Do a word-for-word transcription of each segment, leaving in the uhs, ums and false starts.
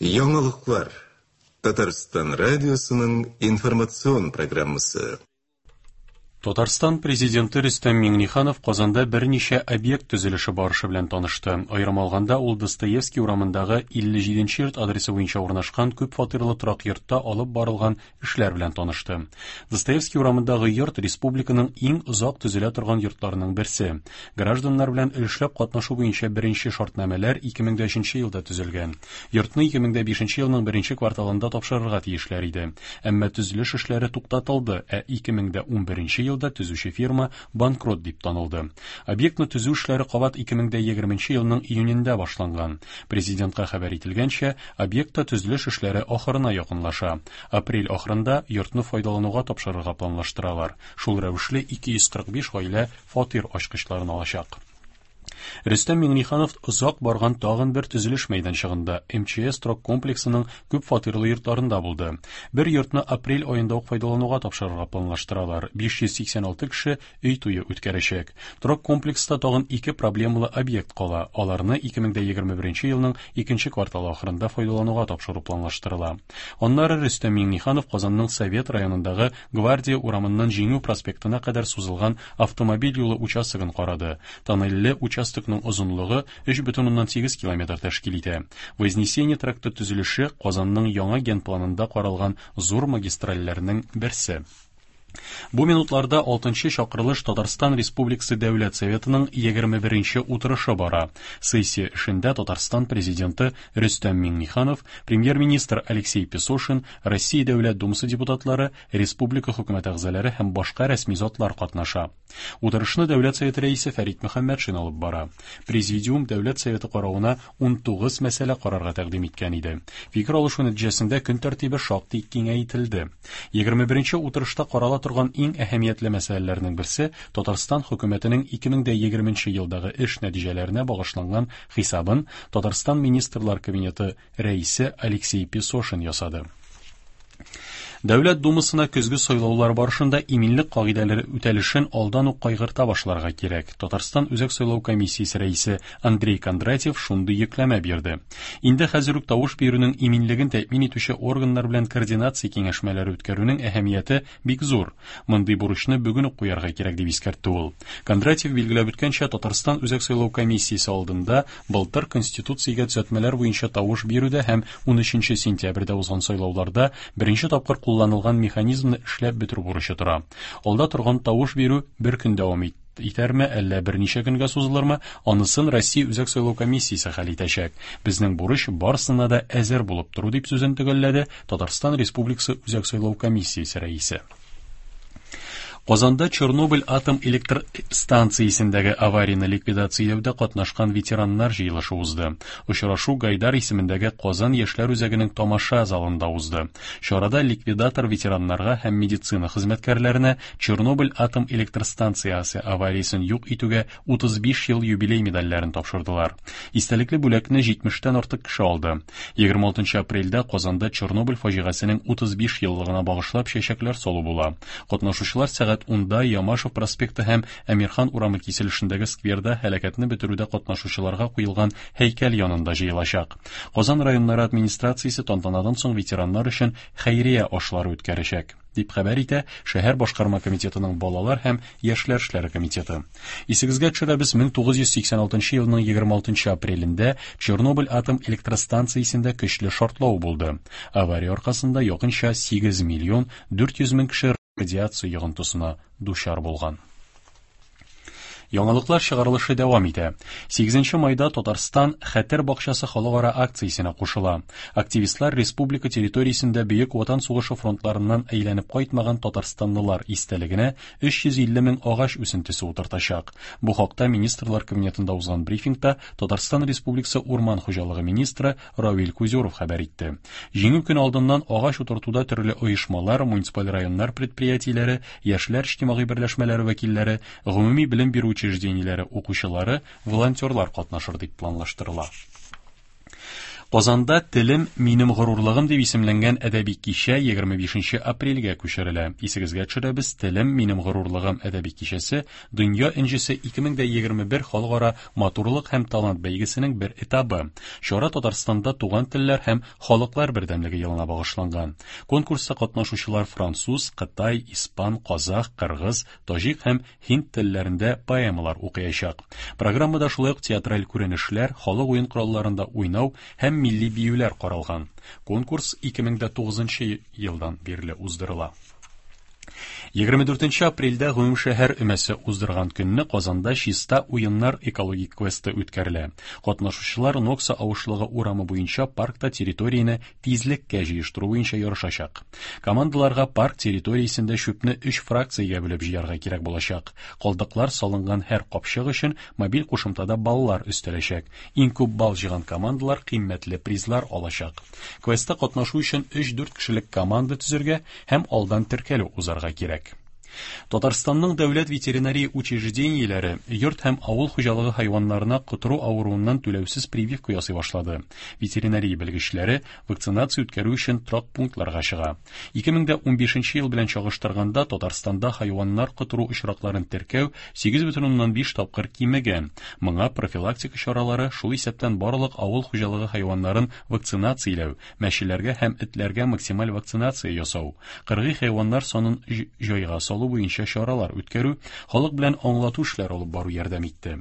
Яңалыклар. Татарстан радиосының информацион программасы. Татарстан президенты Рөстәм Миңнеханов Казанда берничә объект төзелеше барышы белән танышты. Аерым алганда, ул Достоевский урамындагы илле җиденче йорт адресы буенча урнашкан күп фатирлы торак йортта алып барылган эшләр белән танышты. Достоевский урамындагы йорт республиканың иң озак төзелә торган йортларының берсе. Гражданнар белән өлешләп катнашу буенча беренче шартнамәләр ике мең дә өченче елда төзелгән. Йортны ике мең дә бишенче елның беренче кварталында тапшырырга тиешләр иде. Әмма төзелеш эшләре туктатылды, ә ике мең дә унберенче елда төзүче фирма банкрот дип танылды. Объектны төзү эшләре кабат ике мең дә егерменче елның июнендә башланган. Президентка хәбәр ителгәнчә, объектта төзелеш эшләре ахырына якынлаша. Апрель ахырында йортны файдалануга тапшырырга планлаштыралар. Шул рәвешле ике йөз кырык биш гаилә фатир ачкычларын алачак. Рөстәм Миңнеханов озак барган тагын бер төзелеш мәйданчыгында эм че эс торак комплексының күп фатирлы йортларында булды. Бер йортны апрель аенда ук файдалануга тапшырырга планлаштыралар. биш йөз сиксән алты кеше өй туе үткәрәчәк. Торак комплекста тагын ике проблемалы объект кала. Аларны ике мең дә егерме беренче елның икенче кварталы ахырында файдалануга тапшыру планлаштырыла. Аннары Рөстәм Миңнеханов Казанның Совет районындагы Гвардия урамыннан Җиңү проспектына кадәр сузылган автомобиль юлы участогын карады. Тоннельле участокның озынлыгы өч бөтен уннан сигез километр тәшкил итә. Вознесение тракты төзелеше Казанның яңа генпланында каралган зур магистральләрнең берсе. Бу минутларда алтынчы чакырылыш Татарстан Республикасы Дәүләт Советының егерме беренче утырышы бара. Сессия эшендә Татарстан президенты Рөстәм Миңнеханов, премьер-министр Алексей Песошин, Россия Дәүләт Думасы депутатлары, республика хөкүмәте әгъзалары һәм башка рәсми затлар катнаша. Утырышны Дәүләт Советы рәисе Фәрит Мөхәммәтшин алып бара. Президиум Дәүләт Советы каравына ун тугыз мәсьәлә карарга тәкъдим иткән иде. Фикер алышу нәтиҗәсендә көн тәртибе шактый киңәйтелде. Егерме беренче утырышта карала торган иң әһәмиятле мәсьәләләрнең берсе Татарстан хөкүмәтенең ике мең дә егерменче елдагы эш нәтиҗәләренә багышланган хисабын Татарстан Министрлар Кабинеты рәисе Алексей Песошин ясады. Дәүләт Думасына көзге сайлаулар барышында иминлек кагыйдәләре үтәлешен алдан ук кайгырта башларга кирәк. Татарстан Үзәк сайлау комиссиясе рәисе Андрей Кондратьев шундый йөкләмә бирде. Инде хәзер үк тавыш бирүнең иминлеген тәэмин итүче органнар белән координация киңәшмәләре үткәрүнең әһәмияте бик зур. Мондый бурычны бүген үк куярга кирәк дип искәртте ул. Кондратьев билгеләп үткәнчә, Татарстан Үзәк сайлау комиссиясе алдында былтыр Конституциягә төзәтмәләр буенча тавыш бирүдә һәм ун өченче сентябрьдә узган сайлауларда беренче тапкыр кулланылган механизмны эшләп бетерү бурычы тора. Алда торган тавыш бирү бер көн дәвам ит-, итәрме, әллә берничә көнгә сузылырмы, анысын Россия Үзәк сайлау комиссиясе хәл итәчәк. Безнең бурыч барысына да әзер булып тору дип сүзен төгәлләде Татарстан Республикасы Үзәк сайлау комиссиясе рәисе. Казанда Чернобыль атом электр станциясендәге аварияне ликвидацияләүдә катнашкан ветераннар җыелышы узды. Очрашу Гайдар исемендәге Казан яшьләр үзәгенең тамаша залында узды. Чарада ликвидатор ветераннарга һәм медицина хезмәткәрләренә Чернобыль атом электр станциясе авариясен юк итүгә утыз биш ел юбилей медальләрен тапшырдылар. Истәлекле бүләкне җитмештән артык кеше алды. Егерме алтынчы апрельдә Казанда Чернобыль фаҗигасенең утыз биш еллыгына багышлап чәчәкләр салу була. Катнашучылар сәгать унда Ямашев проспекты һәм Әмирхан урамы киселешендәге скверда һәлакәтне бетерүдә катнашучыларга куелган һәйкәл янында җыелачак. Казан районнары администрациясе тантанадан соң ветераннар өчен хәйрия ашлары үткәрәчәк, дип хәбәр итә шәһәр башкарма комитетының балалар һәм яшьләр эшләре комитеты. Исегезгә төшерәбез, мең тугыз йөз сиксән алтынчы елның егерме алтынчы апрелендә Чернобыль атом электростанциясендә көчле шартлау булды. Авария аркасында якынча сигез миллион дүрт йөз мең кеше радиация йогынтысына дучар булган. Яңалыклар чыгарылышы дәвам итә. Сигезенче майда Татарстан Хәтер бакчасы халыкара акциясенә кушыла. Активистлар республика территориясендә Бөек Ватан сугышы фронтларыннан әйләнеп кайтмаган татарстанлылар истәлегенә өч йөз илле мең агач үсентесе утыртачак. Бу хакта Министрлар Кабинетында узган брифингта Татарстан Республикасы Урман хуҗалыгы министры Равил Кузюров хәбәр итте. Җиңү көне алдыннан агач утыртуда төрле оешмалар, муниципаль районнар предприятиеләре, яшьләр иҗтимагый берләшмәләре вәкилләре, гомуми белем бирү учреждениеләре укучылары, волонтерлар катнашыр дип планлаштырыла. Казанда «Телем минем горурлыгым» дип исемләнгән әдәби кичә егерме бишенче апрельгә күчерелә. Исегезгә төшерәбез, «Телем минем горурлыгым» әдәби кичәсе Дөнья энҗесе ике мең дә егерме бер халыкара матурлык һәм талант бәйгесенең бер этабы. Чара Татарстанда туган телләр һәм халыклар бердәмлеге елына багышланган. Конкурста катнашучылар француз, кытай, испан, казах, кыргыз, таҗик һәм һинд телләрендә поэмалар укыячак. Программада шулай ук театраль күренешләр, халык уен коралларында уйнау һәм милли биюләр каралган. Конкурс ике мең дә тугызынчы елдан бирле уздырыла. Егерме дүртенче апрельдә гомумшәһәр өмәсе уздырган көнне Казанда чиста уеннар экологик квесты үткәрелә. Катнашучылар Нокса авышлыгы урамы буенча паркта территорияне тизлеккә җыештыру буенча ярышачак. Командаларга парк территориясендә чүпне өч фракциягә бүлеп җыярга кирәк булачак. Калдыклар салынган һәр капчык өчен мобиль кушымтада баллар өстәләчәк. Иң күп балл җыйган командалар кыйммәтле призлар алачак. Квестта катнашу өчен өч-дүрт кешелек команда төзергә һәм алдан теркәлү узарга кирәк. Татарстанның дәүләт ветеринария учреждениеләре йорт һәм авыл хуҗалыгы хайваннарына котыру авыруыннан түләүсез прививка ясый башлады. Ветеринария белгечләре вакцинация үткәрү өчен торак пунктларга чыга. Ике мең дә унбишенче ел белән чагыштырганда Татарстанда хайваннар котыру очракларын теркәү сигез бөтен уннан биш тапкыр кимегән. Моңа профилактика чаралары, шул исәптән барлык авыл хуҗалыгы хайваннарын вакцинацияләү, мәчеләргә һәм этләргә максималь вакцинация ясау, кыргый хайваннар санын җ-, җайга салу буенча чаралар үткәрү, халык белән аңлату эшләре алып бару ярдәм итте.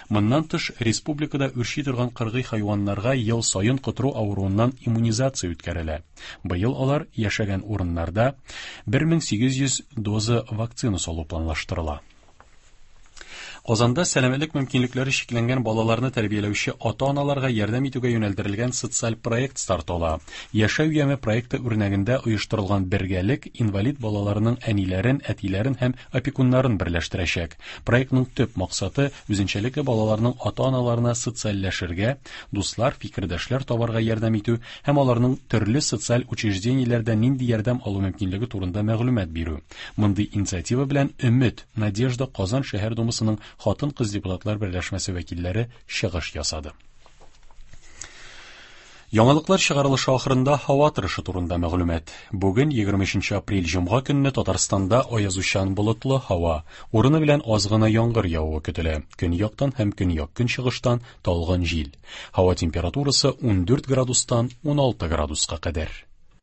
Моннан тыш, республикада үрчи торган кыргый хайваннарга ел саен котыру авыруыннан иммунизация үткәрелә. Быел алар яшәгән урыннарда бер мең сигез йөз доза вакцина салу планлаштырыла. Казанда сәламәтлек мөмкинлекләре чикләнгән балаларны тәрбияләүче ата-аналарга ярдәм итүгә юнәлдерелгән социаль проект старт ала. Яшәү яме проекты үрнәгендә оештырылган бергәлек инвалид балаларының әниләрен, әтиләрен һәм опекуннарын берләштерәчәк. Проектның төп максаты үзенчәлекле балаларның ата-аналарына социальләшергә, дуслар, фикердәшләр табарга ярдәм итү һәм аларның төрле социаль учреждениеләрдә нинди ярдәм алу мөмкинлеге турында мәгълүмат бирү. Мондый инициатива белән Өмет, Надежда Казан шәһәр думасының хатын-кыз депутатлар берләшмәсе вәкилләре чыгыш ясады. Яңалыклар чыгарылышы ахырында һава торышы турында мәгълүмат. Бүген егерме өченче апрель җомга көнне Татарстанда аязучан болытлы һава, урыны белән аз гына яңгыр явуы көтелә. Көньяктан һәм көньяк-көнчыгыштан талгын җил. Һава температурасы ундүрт градустан уналты градуска кадәр.